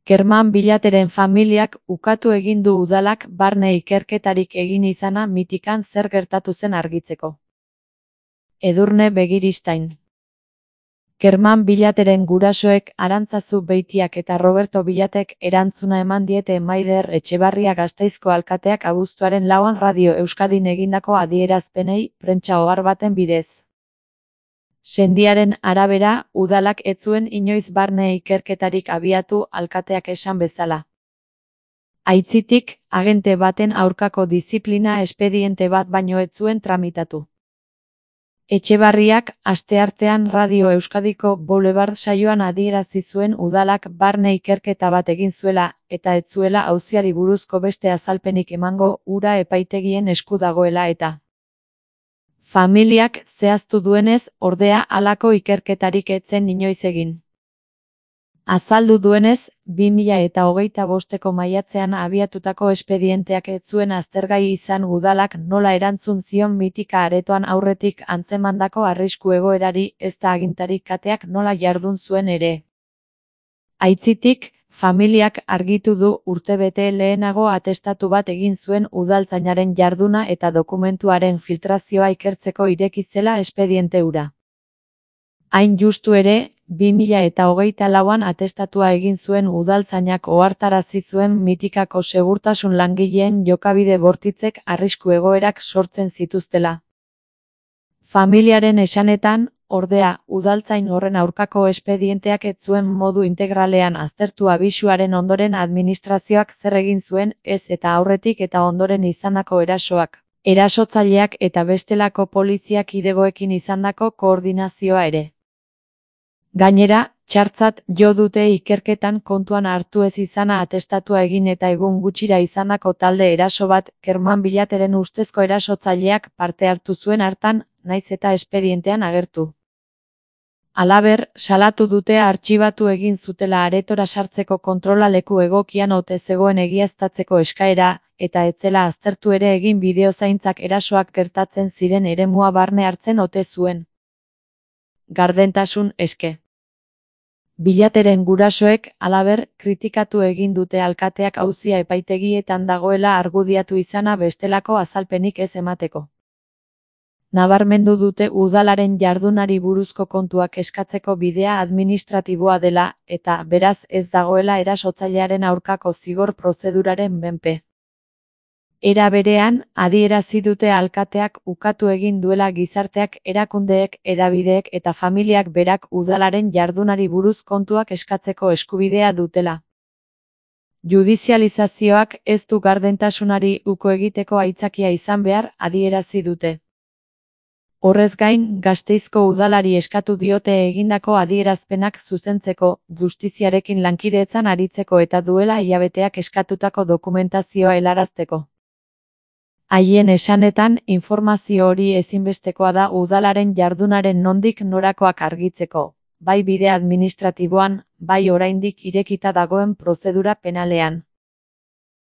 Kerman Bilateren familiak ukatu egin du udalak barne ikerketarik egin izana Mitikan zer gertatu zen argitzeko. Edurne Begiristain. Kerman Bilateren gurasoek Arantzazu Beitiak eta Roberto Bilatek erantzuna eman diete Maider Etxebarria Gasteizko alkateak abuztuaren 4an Radio Euskadin egindako adierazpenei prentsa ohar baten bidez. Sendiaren arabera, udalak ez zuen inoiz barne ikerketarik abiatu alkateak esan bezala. Aitzitik, agente baten aurkako diziplina espediente bat baino ez zuen tramitatu. Etxebarriak asteartean Radio Euskadiko Boulevard saioan adierazi zuen udalak barne ikerketa bat egin zuela eta ez zuela auziari buruzko beste azalpenik emango hura epaitegien esku dagoela eta. Familiak zehaztu duenez, ordea halako ikerketarik ez zen inoiz egin. Azaldu duenez, 2025ko maiatzean abiatutako espedienteak ez zuen aztergai izan udalak nola erantzun zion Mitika aretoan aurretik antzemandako arrisku egoerari ezta agintarik kateak nola jardun zuen ere. Aitzitik, familiak argitu du urtebete lehenago atestatu bat egin zuen udaltzainaren jarduna eta dokumentuaren filtrazioa ikertzeko ireki zela espediente hura. Hain justu ere, 2024an atestatua egin zuen udaltzainak ohartarazi zuen Mitikako segurtasun langileen jokabide bortitzek arrisku egoerak sortzen zituztela. Familiaren esanetan, ordea, udaltzain horren aurkako espedienteak ez zuen modu integralean aztertu abisuaren ondoren administrazioak zer egin zuen ez eta aurretik eta ondoren izandako erasoak, erasotzaileak eta bestelako polizia kidegoekin izandako koordinazioa ere. Gainera, txartzat jo dute ikerketan kontuan hartu ez izana atestatua egin eta egun gutxira izandako talde eraso bat Kerman Bilateren ustezko erasotzaileak parte hartu zuen hartan, naiz eta espedientean agertu. Halaber, salatu dute artxibatu egin zutela aretora sartzeko kontrola leku egokian ote zegoen egiaztatzeko eskaera, eta ez zela aztertu ere egin bideozaintzak erasoak gertatzen ziren eremua barne hartzen ote zuen. Gardentasun eske. Bilateren gurasoek, halaber, kritikatu egin dute alkateak auzia epaitegietan dagoela argudiatu izana bestelako azalpenik ez emateko. Nabarmendu dute udalaren jardunari buruzko kontuak eskatzeko bidea administratiboa dela, eta, beraz, ez dagoela erasotzailearen aurkako zigor prozeduraren menpe. Era berean, adierazi dute alkateak ukatu egin duela gizarteak, erakundeek, hedabideek eta familiak berak udalaren jardunari buruz kontuak eskatzeko eskubidea dutela. Judizializazioak ez du gardentasunari uko egiteko aitzakia izan behar, adierazi dute. Horrez gain, Gasteizko udalari eskatu diote egindako adierazpenak zuzentzeko, justiziarekin lankidetzan aritzeko eta duela hilabeteak eskatutako dokumentazioa helarazteko. Haien esanetan, informazio hori ezinbestekoa da udalaren jardunaren nondik norakoak argitzeko, bai bide administratiboan, bai oraindik irekita dagoen prozedura penalean.